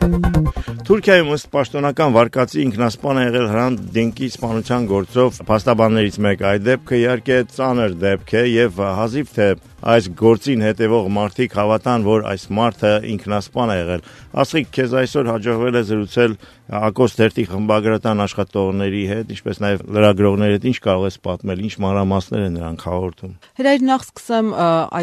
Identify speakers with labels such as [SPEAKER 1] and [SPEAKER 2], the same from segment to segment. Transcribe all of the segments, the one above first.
[SPEAKER 1] Թուրքիայում ըստ պաշտոնական վարկածի ինքնասպան է եղել Hrant Dink-ի սպանության գործով փաստաբաններից մեկը։ Այդ դեպքը իհարկե ծանր դեպք է եւ հազիվ թե այս գործին հետևող մարդիկ հավատան, որ այս մարդը ինքնասպան է եղել։ Ասիկ, քեզ այսօր հաջողվել է զրուցել Ակոս թերթի խմբագրական աշխատողների հետ, ինչպես նաեւ լրագրողների հետ, ինչ կարող ես պատմել, ինչ մանրամասներ են նրանք հաղորդում։
[SPEAKER 2] Հրայր, նախ սկսեմ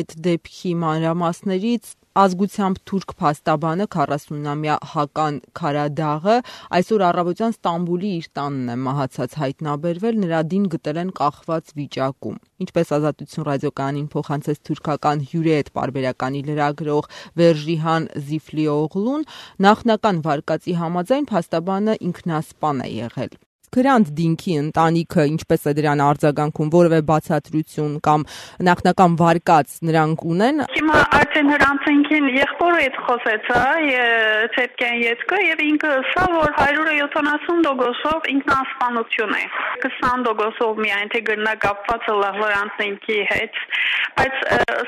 [SPEAKER 2] այդ դեպքի մանրամասներից։ Ազգությամբ թուրք փաստաբանը 40-ամյա Հական Քարադաղը այսօր առավոտյան Ստամբուլի իր տանն է մահացած հայտնաբերվել, նրա դին գտել են կախված վիճակում։ Ինչպես Ազատություն ռադիոկայանին փոխանցեց թուրքական հյուրեդ պարբերականի լրագրող Վերժիհան Զիֆլիօղլուն, նախնական վարկածի համաձայն փաստաբանը ինքնասպան է եղել։ Hrant Dink-ի ընտանիքը ինչպես է դրան արձագանքում, որևէ բացատրություն կամ նախնական վարկած նրանք ունեն։
[SPEAKER 3] Հիմա արդեն Hrant Dink-ին եղբորը հետ խոսեցա, ցեպկեն յետքը եւ ինքը ասա, որ 170% ինքնասպանություն է։ 20% միայն թե գրնա կապված է Hrant Dink-ի հետ, բայց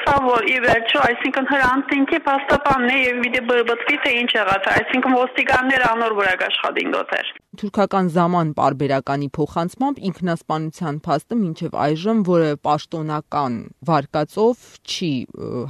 [SPEAKER 3] սա որ ի վերջո, այսինքն Hrant Dink-ի փաստաբանն է եւ պիտի բրբտվի թե ինչ եղած, այսինքն ոստիկանները անոր վրա աշխատին դother։
[SPEAKER 2] Թուրքական Zaman պարբերականի փոխանցմամբ ինքնասպանության փաստը մինչև այժմ որևէ պաշտոնական վարկածով չի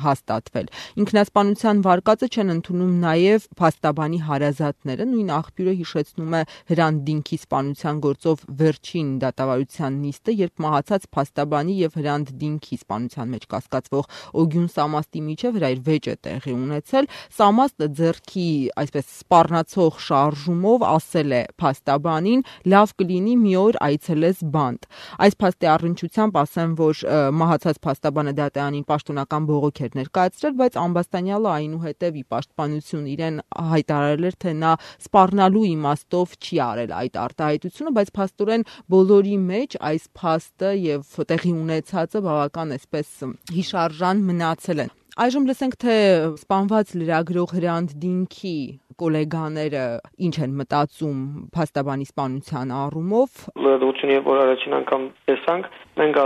[SPEAKER 2] հաստատվել։ Ինքնասպանության վարկածը չեն ընդունում նաև փաստաբանի հարազատները։ Նույն աղբյուրը հիշեցնում է Hrant Dink-ի սպանության գործով վերջին դատավարության նիստը, երբ մահացած փաստաբանի եւ Hrant Dink-ի սպանության մեջ կասկածվող Օգյուն Սամաստի միջև հրայր վեճ է տեղի ունեցել։ Սամաստը ձեռքի այսպես սպառնացող շարժումով ասել է փաստաբանին, լավ կլինի մի օր այցելես բանտ։ Այս փաստի առնչությամբ ասեմ, որ մահացած փաստաբանը դատարանին պաշտոնական բողոք էր ներկայացրել, բայց ամբաստանյալը այնուհետև ի պաշտպանություն իրեն հայտարարել էր, թե նա սպառնալու իմաստով չի արել այդ արտահայտությունը, բայց փաստորեն բոլորի մեջ այս փաստը եւ տեղի ունեցածը բավական այսպես հիշարժան մնացել են։ Այժմ լսենք, թե սպանված լրագրող Hrant Dink-ի գոլեգաները ինչ են մտածում փաստաբանի սպանության առումով։
[SPEAKER 4] Լրատվությունը որ առաջին անգամ տեսանք, մենք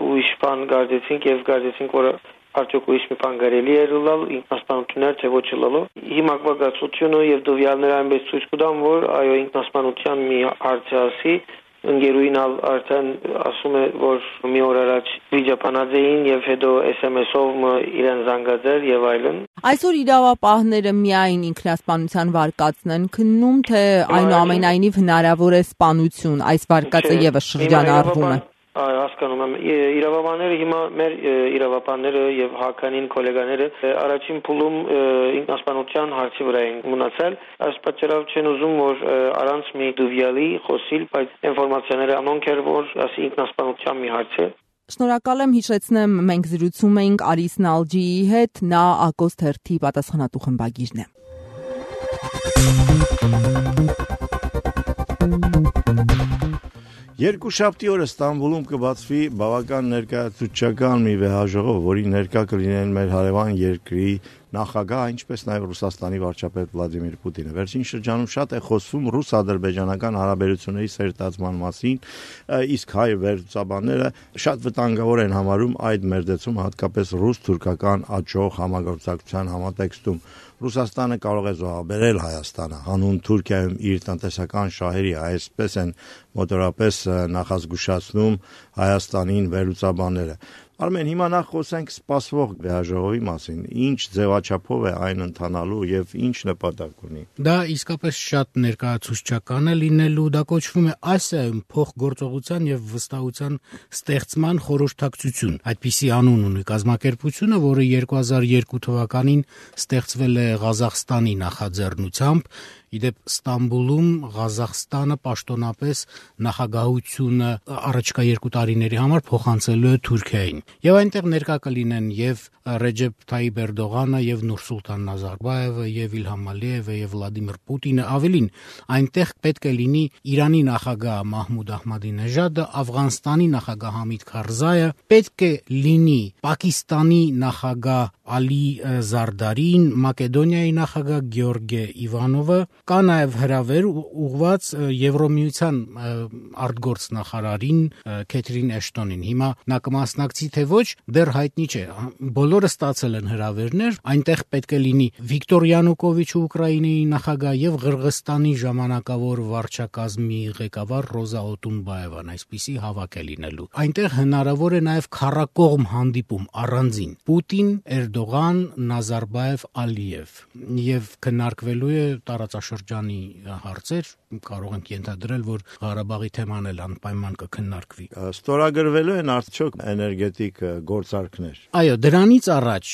[SPEAKER 4] ուրիշ բան գարձեցինք եւ գարձեցինք, որ արդյոք ուրիշ մի բան կարելի է լալ ինքնասպանություններ թե ոչ լալու։ Հիմա կվագացությունը եւ դովյալները այնպես ցույց կտան, որ այո ինքնասպանության մի հարց է ասի։ Ընկերուին արդեն ասում է, որ մի օր առաջ վիճապանած էին եւ հետո SMS-ով իրեն զանգացել եւ այլն։
[SPEAKER 2] Այսօր իրավապահները միայն ինքնասպանության վարկածն են քննում, թե այնուամենայնիվ հնարավոր է սպանություն, այս վարկածը եւս շրջանառվում է։
[SPEAKER 4] Հասկանում եմ, իրավաբանները հիմա մեր իրավաբանները եւ Հականին գոլեգաները առաջին փուլում ինքնասպանության հարցի վրա են մնացել, այս պատճառով չեն ուզում որ առանց մի դուվյալի խոսիլ, բայց ինֆորմացիաները անոնք էր որ ասի ինքնասպանության մի հարց է։
[SPEAKER 2] Շնորհակալ եմ, հիշեցնեմ, մենք զրուցում էինք Արիս Նալջիի հետ, նա Ակոս թերթի պատասխանատու խմբագիրն է։
[SPEAKER 1] Երկուշաբթի օրը Ստամբուլում կբացվի բավական ներկայացուցչական մի վեհաժողով, որի ներկա կլինեն մեր հարևան երկրի նախագահ, ինչպես նաև Ռուսաստանի վարչապետ Վլադիմիր Պուտինը։ Վերջին շրջանում շատ է խոսվում ռուս-ադրբեջանական հարաբերությունների սերտացման մասին, իսկ հայ վերլուծաբանները շատ վտանգավոր են համարում այդ մերձեցում, հատկապես ռուս-թուրքական աճող համագործակցության համատեքստում։ Ռուսաստանը կարող է զոհաբերել Հայաստանը, հանուն Թուրքիայում իր տնտեսական շահերի, այսպես են մոտորապես նախազգուշացնում Հայաստանին վերլուծաբանները։ Արմեն, հիմա նախ խոսենք սպասվող վեհաժողովի մասին, ինչ ձևաչափով է այն ընթանալու եւ ինչ նպատակ ունի։
[SPEAKER 5] Դա իսկապես շատ ներկայացուցչական է լինելու, դա կոչվում է ASEAN փոխգործողության եւ վստահության ստեղծման խորհրդակցություն։ Այդպիսի անուն ունի կազմակերպությունը, որը 2002 թվականին ստեղծվել է Ղազախստանի նախաձեռնությամբ։ Իդեպ Ստամբուլում Ղազախստանը պաշտոնապես նախագահությունը առաջիկա 2 տարիների համար փոխանցելու է Թուրքիային։ Եվ այնտեղ ներկա կլինեն եւ Ռեջեփ Թայիպ Էրդողանը եւ Նուրսուլտան Նազարբաևը եւ Իլհամ Ալիևը եւ Վլադիմիր Պուտինը, ավելին այնտեղ պետք է լինի Իրանի նախագահ Մահմուդ Ահմադինեժադը, Աֆղանստանի նախագահ Համիդ Քարզայը, պետք է լինի Պակիստանի նախագահ Ալի Զարդարին, Մակեդոնիայի նախագահ Գեորգե Իվանովը կա նաև հրավեր ուղղված Եվրոմիության արտգործ նախարարին Քեթրին Էշտոնին։ Հիմա նա կմասնակցի թե ոչ, դեռ հայտնի չէ։ Բոլորը ստացել են հրավերներ, այնտեղ պետք է լինի Վիկտոր Յանուկովիչը Ուկրաինայի նախագահ եւ Ղրղստանի ժամանակավոր վարչակազմի ղեկավար Ռոզա Օտունբաևան, այսպիսի հավաք է լինելու։ Այնտեղ հնարավոր է նաև քառակողմ հանդիպում առանձին Պուտին, Էրդողան, Նազարբաև, Ալիև եւ քննարկվելու է տարածաշրջանի հարցեր, կարող ենք ենթադրել, որ Ղարաբաղի թեման էլ անպայման կքննարկվի։
[SPEAKER 1] Ստորագրվելու են արդյոք էներգետիկ գործարքներ։
[SPEAKER 5] Այո, դրանից առաջ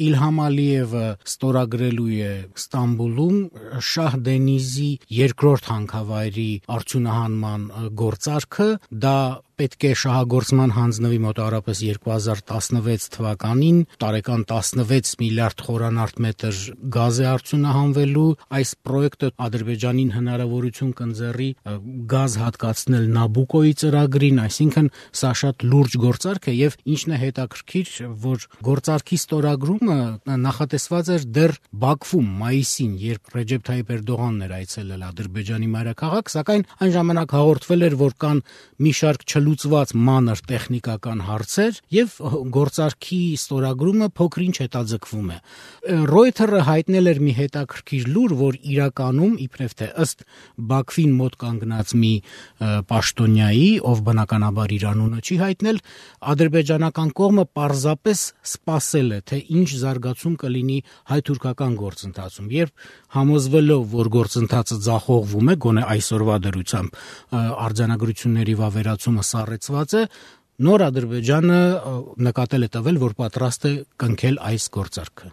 [SPEAKER 5] Իլհամ Ալիևը ստորագրելու է Ստամբուլում Շահ Դենիզի երկրորդ հանքավայրի արդյունահանման գործարքը, դա պետք է շահագործման հանձնվի մոտավորապես 2016 թվականին, տարեկան 16 միլիարդ խորանարդ մետր գազ է արդյունահանվելու, այս պրոյեկտը Ադրբեջանին հնարավորություն կընձեռի գազ հատկացնել Նաբուկոյի ծրագրին, այսինքն սա շատ լուրջ գործարք է եւ ինչն է հետաքրքիր, որ գործարքի ստորագրումը նախատեսված էր դեռ Բաքվում մայիսին, երբ Ռեջեփ Թայիփ Էրդողանն էր այցելել Ադրբեջանի մայրաքաղաք, սակայն այն ժամանակ հաղորդվել էր, որ կան մի շարք չլուծված մանր տեխնիկական հարցեր եւ գործարքի ստորագրումը փոքրինչ հետաձգվում է։ Reuters-ը հայտնել էր մի հետաքրքիր լուր, որ իրականում իբրև թե ըստ Բաքվին մոտ կանգնած մի պաշտոնյայի, ով բնականաբար իր անունը չի հայտնել, ադրբեջանական կողմը պարզապես սպասել է, թե ինչ զարգացում կլինի հայ-թուրքական գործընթացում, երբ համոզվելով, որ գործընթացը ձախողվում է, գոնե այսօրվա դրությամբ արձանագրությունների վավերացումը սառեցված է, նոր Ադրբեջանը նկատել է տվել, որ պատրաստ է կնքել այս գործարքը։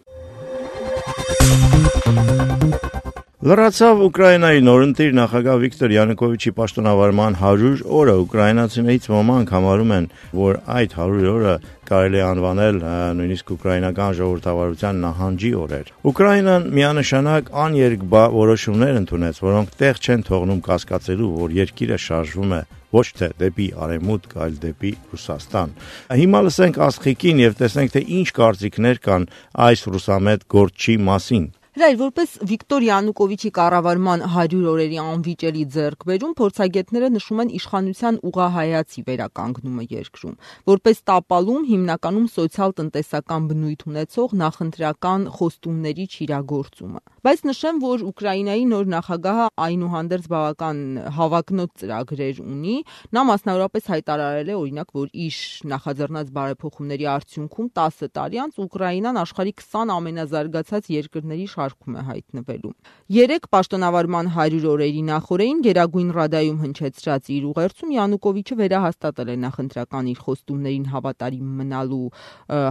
[SPEAKER 1] Լրացավ Ուկրաինայի նորընտիր նախագահ Վիկտոր Յանուկովիչի պաշտոնավարման 100 օրը, ուկրաինացիներից ոմանք համարում են, որ այդ 100 օրը կարելի է անվանել նույնիսկ ուկրաինական ժողովրդավարության նահանջի օրեր։ Ուկրաինան միանշանակ աներկբա որոշումներ ընդունեց, որոնք տեղ չեն թողնում կասկածելու, որ երկիրը շարժվում է ոչ թե դեպի արևմուտք, այլ դեպի Ռուսաստան։ Հիմա լսենք Աստղիկին եւ տեսնենք, թե ինչ կարծիքներ կան այս ռուսամետ գործչի մասին։
[SPEAKER 2] Հրայր, որպես Վիկտոր Յանուկովիչի կառավարման 100 օրերի անվիճելի ձեռքբերում, փորձագետները նշում են իշխանության ուղղահայացի վերականգնումը երկրում, որպես տապալում հիմնականում սոցիալ-տնտեսական բնույթ ունեցող նախընտրական խոստումների չիրագործումը։ Բայց նշեմ, որ Ուկրաինայի նոր նախագահը այնուհանդերձ բավական հավակնոտ ծրագրեր ունի, նա մասնավորապես հայտարարել է, օրինակ, որ իր նախաձեռնած բարեփոխումների արդյունքում 10 տարի անց Ուկրաինան աշխարհի 20 ամենազարգացած երկրների շարքում է հայտնվելու։ 3 պաշտոնավարման 100 օրերի նախօրեին Գերագույն Ռադայում հնչեցրած իր ուղերձում Յանուկովիչը վերահաստատել է նախընտրական իր խոստումներին հավատարիմ մնալու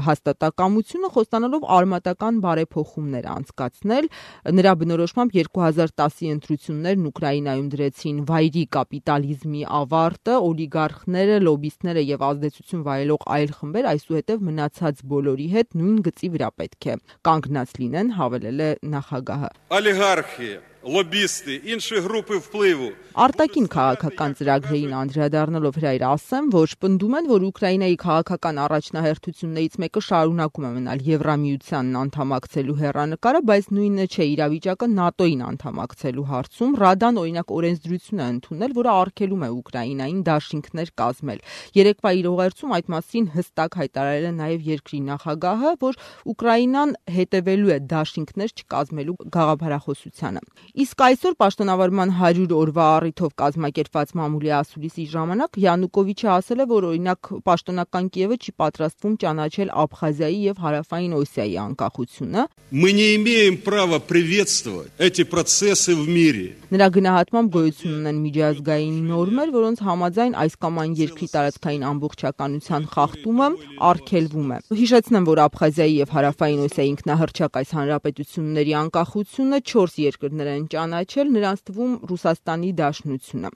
[SPEAKER 2] հաստատակամությունը, խոստանալով արմատական բարեփոխումներ անցկացնել։ Նրա բնորոշմամբ 2010-ի ընտրություններն Ուկրաինայում դրեցին վայրի կապիտալիզմի ավարտը, օլիգարխները, լոբիստները եւ ազդեցություն վայելող այլ խմբեր այսուհետև մնացած բոլորի հետ նույն գծի վրա պետք է կանգնած լինեն, հավելել է նախագահը։
[SPEAKER 6] Օլիգարխի, լոբիստի, інші групи впливу։
[SPEAKER 2] Արտաքին քաղաքական ծրագրերին անդրադառնալով Հրայր ասեմ, որ պնդում են, որ Ուկրաինայի քաղաքական առաջնահերթություններից մեկը շարունակում է մնալ Եվրամիությանն անդամակցելու հեռանկարը, բայց նույնը չէ իրավիճակը ՆԱՏՕ-ին անդամակցելու հարցում։ Ռադան օրինակ օրենսդրություն է ընդունել, որը արգելում է Ուկրաինային դաշինքներ կազմել։ Երեկվա իր ուղերձում այդ մասին հստակ հայտարարել է նաև երկրի նախագահը, որ Ուկրաինան հետևելու է դաշինքներ չկազմելու գաղափարախոսությանը։ Իսկ այսօր պաշտոնավարման 100 օրվա առիթով կազմակերպված մամուլի ասուլիսի ժամանակ Յանուկովիչը ասել է, որ օրինակ պաշտոնական Կիևը չի պատրաստվում ճանաչել Աբխազիայի եւ Հարավային Օսիայի անկախությունը։
[SPEAKER 6] Мы не имеем права приветствовать эти процессы в мире.
[SPEAKER 2] Նրա գնահատմամբ գոյություն ունեն միջազգային նորմեր, որոնց համաձայն այս կամ այն երկրի տարածքային ամբողջականության խախտումը արգելվում է։ Հիշեցնեմ, որ Աբխազիայի եւ Հարավային Օսիայի ինքնահռչակ այս հանրապետությունների անկախությունը 4 երկրներ են ճանաչել, նրանց թվում Ռուսաստանի Դաշնությունը։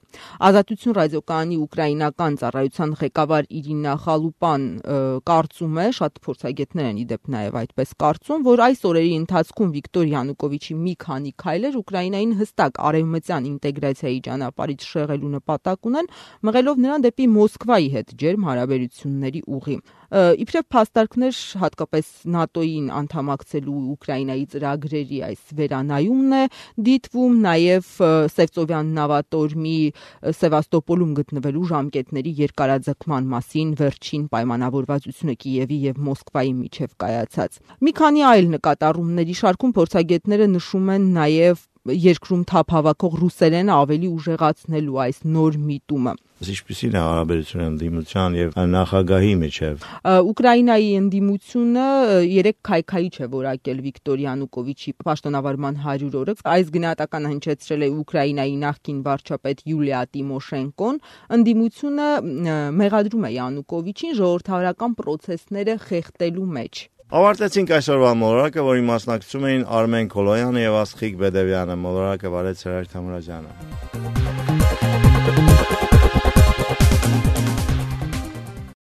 [SPEAKER 2] Ազատություն ռադիոկայանի ուկրաինական ծառայության ղեկավար Իրինա Խալուպան կարծում է, շատ փորձագետներ են իդեպ նաև այդպես կարծում, որ այս օրերի ընթացքում Վիկտոր Յանուկովիչի մի քանի քայլեր Ուկրաինային հստակ արևմտյան ինտեգրացիայի ճանապարհից շեղելու նպատակ ունեն, մղելով նրան դեպի Մոսկվայի հետ ջերմ հարաբերությունների ուղի։ Իբրև փաստարկներ հատկապես ՆԱՏՕ-ին անդամակցելու Ուկրաինայի ծրագրերի այս վերանայումն է դիտվում, նաև Սևծովյան նավատորմի Սևաստոպոլում գտնվելու ժամկետների երկարաձգման մասին վերջին պայմանավորվածությունը Կիևի եւ Մոսկվայի միջև կայացած։ Մի քանի այլ նկատառումների շարքում փորձագետները նշում են նաև երկրում թափ հավաքող ռուսերենը ավելի ուժեղացնելու այս նոր միտումը։
[SPEAKER 1] Ինչպիսին է հարաբերությունը ընդդիմության եւ նախագահի միջև։
[SPEAKER 2] Ուկրաինայի ընդդիմությունը 3 քայքայիչ է որակել Վիկտոր Յանուկովիչի պաշտոնավարման 100 օրը։ Այս գնահատականը հնչեցրել է Ուկրաինայի նախկին վարչապետ Յուլիա Տիմոշենկոն։ Ընդդիմությունը մեղադրում է Յանուկովիչին ժողովրդավարական պրոցեսները խեղդելու մեջ։
[SPEAKER 1] Ավարտեցինք այսօրվա մոլորակը, որի մասնակցում էին Արմեն Քոլոյանը եւ Աստղիկ Բեդևյանը։ Մոլորակը վարեց Հրայր Թամրազյանը։